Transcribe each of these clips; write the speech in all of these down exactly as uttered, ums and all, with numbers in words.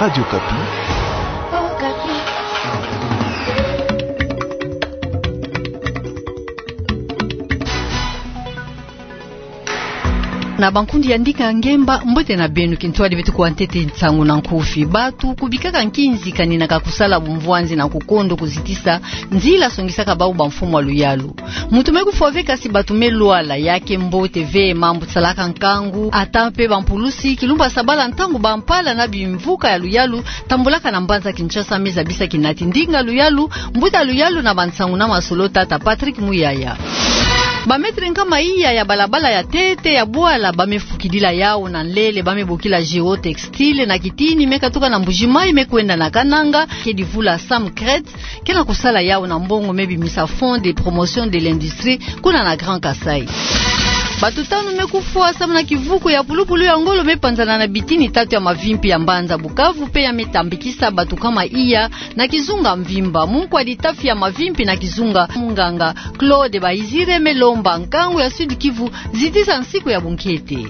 Radio Okapi. Na bankundi ya Ndinga Ngemba, mbote na beno. Kintwadi beto kuwa ntete nsangu na nkufi. Batu kubikaka nkinzi kaninaka kusala bumvwanzi na kukondo kuzitisa nzila songisaka bau bamfumu ya luyalu. Muntu me kufwa ve, kasi batu me lwala. Ya ke mbote ve mambu salaka nkangu, ata mpe bampulusi, kilumbu ya sabala, ntangu bampala na bimvuka ya luyalu tambulaka na mbanza Kinshasa, me zabisa kinati ndinga luyalu, mbuta luyalu na bansangu na masolo, tata Patrick Muyaya. Ba mètre nkama iya ya balabala ya ntete ya bwala ba me fukidila yau na nlele ba me bokila Géotextile na kitini me katuka na Mbuji-Mayi me kwenda na Kananga, ke divula Sam Crête, ke na kusala yau na mbongo me bimisa Fonds de promotion de l'industrie kuna na Grand Kasaï. Batu tanu me kufwa samu na kivuku ya pulupulu ya ngolo me panzana na bitini tatu ya mavimpi ya mbanza Bukavu, mpe ya me tambikisa batu nkama iya na kizunga mvimba. Munkwa ditafi ya mavimpi na kizunga, munganga Claude Bayizire, me lomba nkangu ya Sud-Kivu zitisa nsiku ya bunkete.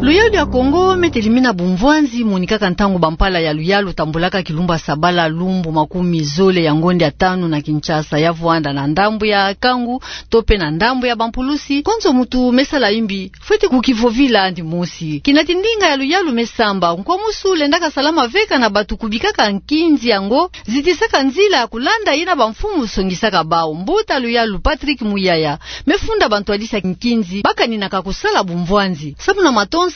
Luyalu ya Kongo me telimina bumvwanzi monikaka ntangu bampala ya luyalu tambulaka kilumbu ya sabala, lumbu makumi zole ya ngonde ya tanu na Kinshasa. Ya vwanda na ndambu ya nkangu to mpe na ndambu ya bampulusi, konzo muntu me sala imbi fwete kukivovila yandi mosi. Kinati ndinga ya luyalu me samba, nkwamusu lendaka salama veka na batu kubikaka nkinzi yango zitisaka nzila ya kulanda yina bamfumu songisaka bau. Mbuta luyalu Patrick Muyaya me funda bantwadisi ya nkinzi ba kaninaka kusala bumvwanzi. Samu na matonsa,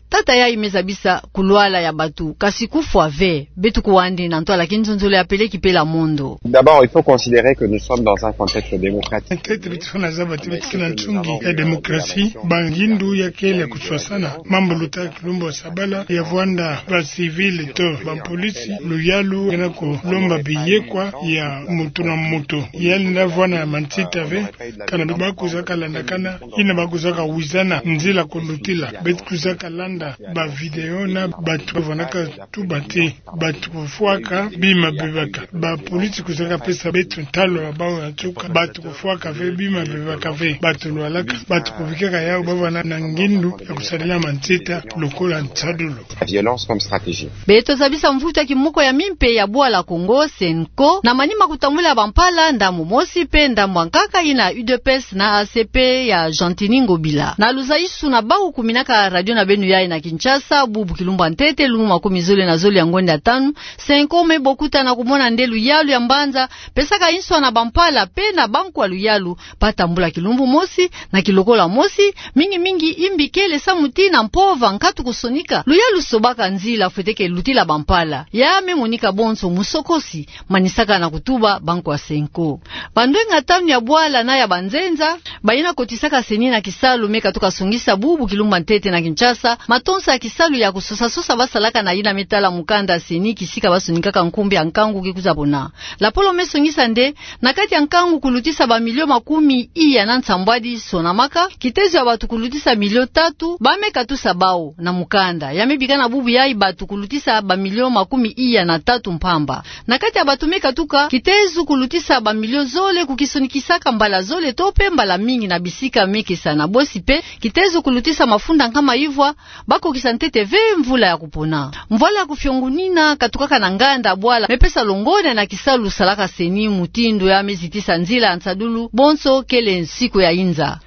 tata yayi me zabisa kulwala ya batu, kasi kufwa ve. Beto kuwa yandi na ntwala kinzonzolo ya Peleki Pela Mondo. D'abord, il faut considérer que nous sommes dans un contexte démocratique. Ntete beto fwana zaba ti beto ke na nsungi ya démocratie. Bangindu ya kele ya kuswasana. Mambu luta kilumbu ya sabala ya vwanda ba civil to bampolisi, luyalu ke na kulomba biyekwa ya muntu na muntu. Ya lenda vwana ya mansita ve, kana ba kwiza kalandakana, yina ba kwiza kawizana nzila kulutila. Beto kwiza kalanda ba vidéo na batu vwanaka tuba ti batu kufwaka bima bebaka. Bapolisi kwiza kapesa beto ntalo ya bau ya nsuka. Batu kufwaka ve, bima bebaka ve. Batu lwalaka, batu kubikaka yau ba vwana na ngindu ya kusadila mansita lokola nsadulu. La violence comme stratégie. Beto zabisa mvutu ya kimoko ya mimpe ya bwala Kongo, CENCO, na manima kutambula bampala, ndambu mosi mpe ndambu ya nkaka yina U D P S na A C P ya Gentiny Ngobila. Na luzaisu na bau kuminaka radio na beno yayi na Kinshasa, bubu kilumbu ya ntete, lumbu makumi zole na zole ya ngonde ya tanu, CENCO me bokuta na kumona nde luyalu ya mbanza pesaka nswa na bampala mpe na bankwa luyalu ba tambula kilumbu mosi, na kilokola mosi, mingi mingi imbi kele samu ti na mpova nkatu kusonika. Luyalu sobaka nzila fwete ke lutila bampala. Ya me monika bonso musokosi, manisaka na kutuba bankwa CENCO. Bandwenga tanu ya bwala na ya banzenza, bayina kotisaka CENI na kisalu me katuka songisa bubu kilumbu ya ntete na Kinshasa matonsa ya kisalu ya kusosa-sosa ba salaka na yina me tala mukanda CENI, kisika ba sonikaka nkumbu ya nkangu ke kwiza pona. Lapolo me songisa nde, na kati ya nkangu kulutisa ba milio makumi iya na nsambwadi sonamaka, kitezo ya batu kulutisa milio tatu ba me katusa bau na mukanda. Ya me bika na bubu yayi batu kulutisa ba milio makumi iya na tatu mpamba. Na kati ya batu me katuka, kitezo kulutisa ba milio zole kukisonikisaka mbala zole to mpe mbala mingi na bisika me kesa na bosi mpe, kitezo kulutisa mafunda nkama ivwa, ba kokisa ntete ve mvula ya kupona. Mvwala ya kufiongunina katukaka na nganda bwala me pesa longonya na kisalu salaka CENI, mutindu ya me zitisa nzila ya nsadulu, bonso kele nsiku ya inza.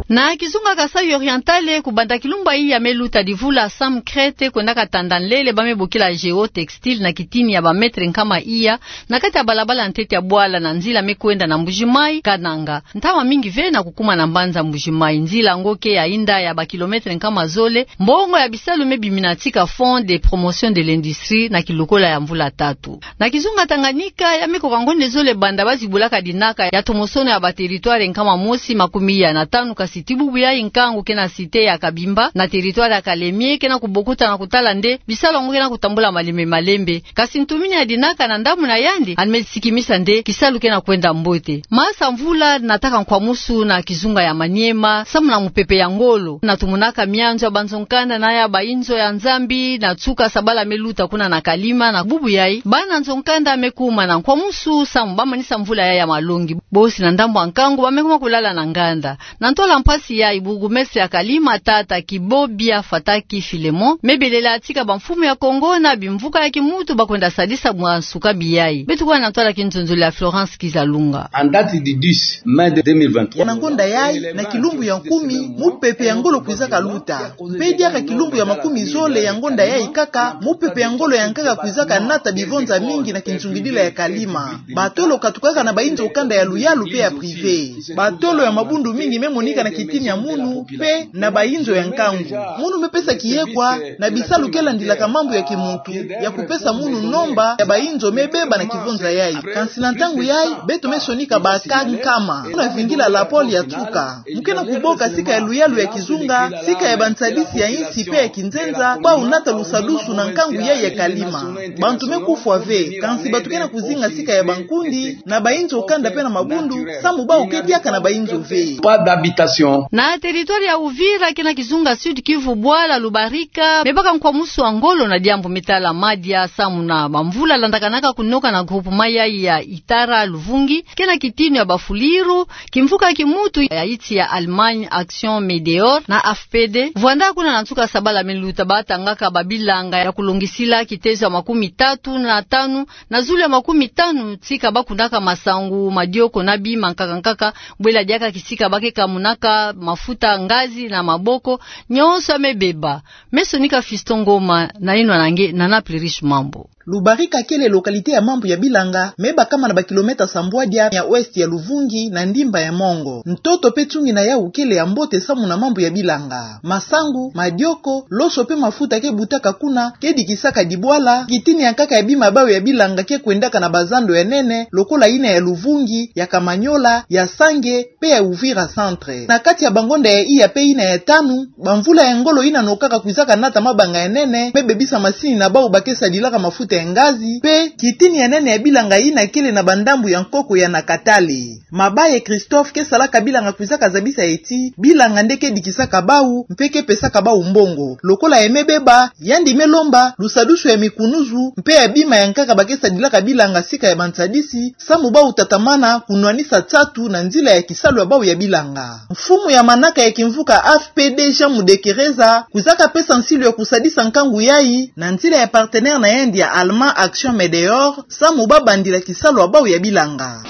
Na kizunga Kasaï Oriental, kubanda kilumbu yayi ya me luta divula Sam Crête kwendaka tanda nlele ba me bokila Géotextile na kitini ya ba mètre nkama iya, na kati ya balabala ntete ya bwala na nzila me kwenda na Mbuji-Mayi, Kananga. Ntama mingi ve na kukuma na mbanza Mbuji-Mayi. Nzila yango ke ya inda ya ba kilomètre nkama zole. Mbongo ya bisalu me biminatika Fonds de promotion de l'industrie na kilokola ya mvula tatu. Na kizunga Tanganyika, ya me koka ngonde zole banda ba zibulaka dinaka ya tomosono ya ba territoire nkama mosi makumi iya na tanu, kasi ti bubu yayi nkangu ke na cité ya Kabimba na territoire ya Kalemie ke na kubokuta na kutala nde bisalu yango ke na kutambula malembe malembe. Kasi ntumini ya dinaka na ndambu na yandi, yandi me sikimisa nde kisalu ke na kwenda mbote. Masa mvula nataka nkwamusu na kizunga ya Maniema, samu na mupepe ya ngolo. Na tumonaka mianzo ya banzo-nkanda na ya bayinzo ya Nzambi, na nsuka sabala me luta kuna na Kalima, na bubu yayi, bana nzo-nkanda me kuma na nkwamusu, samu ba manisa mvula yayi ya malongi. Bosi na ndambu ya nkangu, ba me kuma kulala na nganda. Na ntwala mpasi yayi, bourgmestre ya Kalima, tata Kibobia Fataki Philemon, me belela tika bamfumu ya Kongo na bimvuka ya kimuntu bakwenda sadisa bwa nsuka biyayi. Beto kuwa na ntwala ki nzonzolo ya Florence Kizalunga. En date du dix mai deux mille vingt-trois. Ya na ngonda yayi, na kilumbu ya kumi, mupepe ya ngolo kwizaka luta. Mpe diaka kilumbu ya makumi zole ya ngonda yayi kaka, mupepe ya ngolo yankaka kwizaka nata bivonza mingi na kinsungidila ya Kalima. Batolo katukaka na bainzo kanda ya luyalu mpe ya privé. Batolo ya mabundu mingi me monika na kitini ya munu, mpe na bainzo ya nkangu. Munu me pesa kiyekwa na bisalu ke landilaka mambu ya kimuntu, ya kupesa munu nomba ya bainzo me beba na kivonza yayi. Kansi na ntangu yayi, beto me sonika ba cas nkama. Munu vingila la pôle ya tuka. Mu ke na kuboka sika ya luyalu ya kizunga, sika ya bansadisi ya insi mpe ya kinzenza, bau nata lusadusu na nkangu yayi ya Kalima. Bantu me kufwa ve, kansi bato ke na kuzinga sika ya bankundi, na bainzo kanda mpe na mabundu, samu bau ke diaka na bainzo ve. Pas d'habitation. Na territoire ya Uvira, ke na kizunga Sud-Kivu, bwala Lubarika me baka nkwamusu wa ngolo na diambu me tala madia samu na bamvula landakanaka kunoka na groupement yayi ya Itara Luvungi, ke na kitini ya bafuliru, kimvuka kimuntu ya insi ya Allemagne Action Medeor na A F P D, vwanda kuna na nsuka sabala me luta batangaka babilanga ya kulongisila kitezo ya makumi tatu na tanu na zulu ya makumi tanu, tika bakunaka masangu, madioko na bima nkaka nkaka, bwela diaka kisika ba ke kamunaka mafuta ngazi na maboko, nyonso ya me beba. Me sonika Fiston Ngoma na yinwa na nge Nana Plurish Mambu. Lubarika kele localité ya mambu ya bilanga, me bakama na ba kilomètre sambwadia ya ouest ya Luvungi na ndimba ya Mongo. Ntoto mpe tsungina yau kele ya mbote samu na mambu ya bilanga. Masangu, madioko, loso mpe mafuta ke butaka kuna, ke dikisaka dibwala, kitini ya nkaka ya bima bau ya bilanga ke kwendaka na bazando ya nene, lokola yina ya Luvungi, ya Kamanyola, ya Sange, mpe ya Uvira Centre. Na kati ya bangonda ya iya mpe yina ya tanu, bamvula ya ngolo yina nokaka kwizaka nata mabanga ya nene, me bebisa masini na bau ba ke sadilaka mafuta ya ngazi, mpe kitini ya nene ya bilanga yina kele na bandambu ya nkoko ya Nakatale. Mabaye Christophe ke salaka bilanga kwizaka zabisa ti, bilanga nde ke dikisaka bau, mpe ke pesaka bau mbongo. Lokola ya me beba, yandi me lomba lusadusu ya mikunuzu, mpe ya bima ya nkaka ba ke sadilaka bilanga sika ya bansadisi, samu bau tatamana kunwanisa nsatu na nzila ya kisalu ya bau ya bilanga. Mfumu ya manaka ya kimvuka A F P D Jean Mudekereza, kwizaka pesa nsilu ya kusadisa nkangu yayi, na nzila ya partenaire na yandi ya Allemand Action Medeor, samu ba bandila kisalu ya bau ya bilanga.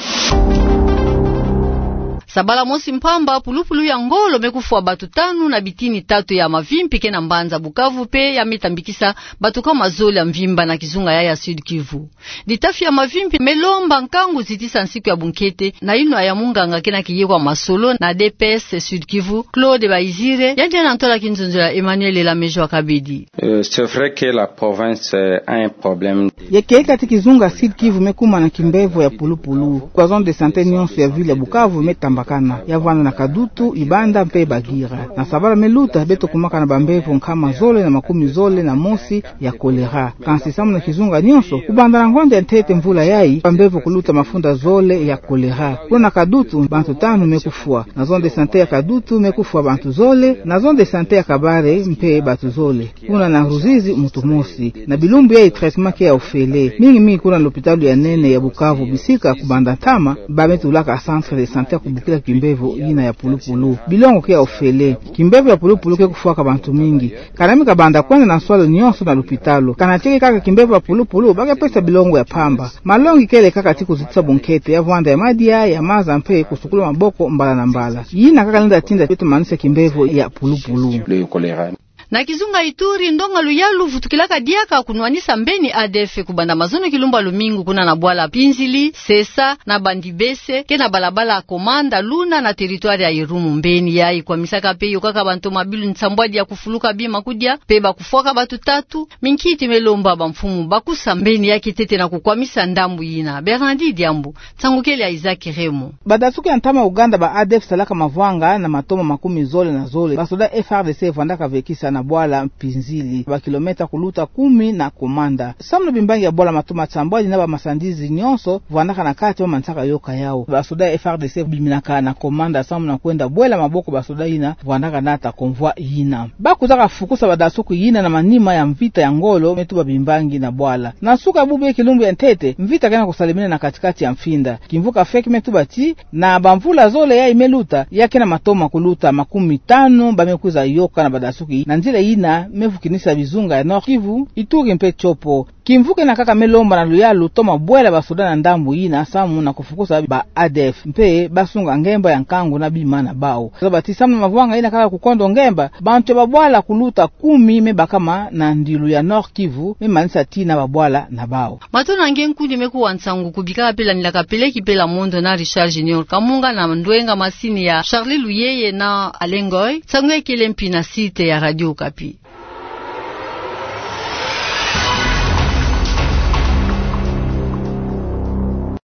Sabala mosi mpamba, pulupulu ya ngolo me kufwa batu tanu na bitini tatu ya mavimpi ke na mbanza Bukavu mpe ya me tambikisa batu kama zole ya mvimba na kizunga yayi ya Sud-Kivu. Litafi ya mavimpi me lomba nkangu zitisa nsiku ya bunkete, na yinwa ya munganga ke na kiyekwa masolo na D P S Sud-Kivu, Claude Bayizire, yandi na ntwala ki nzonzolo ya Emmanuel Elamejo Akabedi. Euh, c'est vrai que la province, euh, a un problème. Ya ke kati kizunga Sud-Kivu me kuma na kimbevo ya pulupulu. Kwa zone de santé nyonso ya ville ya Bukavu me tambakana. Ya vwanda na Kadutu, Ibanda mpe Bagira. Na sabala me luta beto kumaka na bambevo nkama zole na makumi zole na mosi ya choléra. Kansi samu na kizunga nyonso, kubanda na ngonda ya ntete mvula yayi, bambevo kuluta mafunda zole ya choléra. Kuna na Kadutu, bantu tanu me kufwa. Na zone de santé ya Kadutu me kufwa bantu zole, na zone de santé ya Kabare mpe bantu zole. Kuna na Ruzizi muntu mosi. Na bilumbu yayi traitement ke ya ofele. Mingi mingi kuna na lopitalo ya nene ya Bukavu bisika kubanda ntama, ba me tulaka centre de santé ya kubukila kimbevo yina ya pulupulu. Bilongo ke ya ofele. Kimbevo ya pulupulu ke kufwaka bantu mingi. Kanami kabanda kwenda na nswalu nyonso na lopitalo. Kana tieke kaka kimbevo ya pulupulu, ba ke pesa bilongo ya mpamba. Malongi kele kaka ti kuzitisa bunkete, ya vwanda ya madia, ya maza mpe kusukula maboko mbala na mbala. Yina kaka lenda tinda beto manisa kimbevo ya pulupulu. Le choléra. Na kizunga Ituri, ndonga luyalu vutukilaka diaka kunwanisa mbeni A D F kubanda mazono kilumbu ya lumingu kuna na bwala Pinzili, Sesa, na Bandibese, ke na balabala Komanda Luna na territoire ya Irumu. Mbeni yayi kwamisaka mpe yokaka bantu mabilu nsambwadi ya kufuluka bima kudia, mpe ba kufwaka bantu tatu. Minkiti me lomba bamfumu ba kusa mbeni yayi kiantete na kukwamisa ndambu yina. Bernardi Diambu, nsangu kele ya Isaac Remo. Banda suku ya ntama Uganda, ba A D F salaka mavwanga na matomo makumi zole na zole. Basoda F A R D C vwandaka vekisa na na bwala Mpinzili, ba kilomètre kuluta kumi na Komanda. Samu na bimbangi ya bwala matoma sambwadi na ba masandizi nyonso vwandaka na kati, bamanisaka yoka yawu. Basoda ya F R D C biminaka na Komanda samu na kwenda bwela maboko basoda yina vwandaka nata convoi yina. Bakuzaka fukusa badasuku yina na manima ya mvita ya ngolo me tuba bimbangi na bwala. Na suka ya bubu ya kilumbu ya ntete, mvita kena kusalemena na katikati ya mfinda. Kimvuka F E C me tuba ti, na bamvula zole yayi me luta, ya kena matoma kuluta makumi tanu ba me kwiza yoka na badasuku yi, na nzila yina me vukinisa bizunga ya Nord-Kivu, Ituri mpe Tshopo. Kimvuka ena kaka me lomba na luyalu toma bwela basoda na ndambu yina samu na kufukusa ba A D F mpe basunga ngemba ya nkangu na bima na bawu. Zaba ti samu na mavwanga yina kaka kukondo ngemba, bantu ya babwala kuluta kumi me bakama na ndilu ya Nord-Kivu, me manisa ti na babwala na bawu. Matondo na nge nkundi me kuwa nsangu kubika pela nila kapele ki pela mondo na Richard Junior Kamunga na ndwenga masini ya Charlie Luyeye na Alain Ngoy. Nsangu ya kele mpi na site ya Radio Okapi.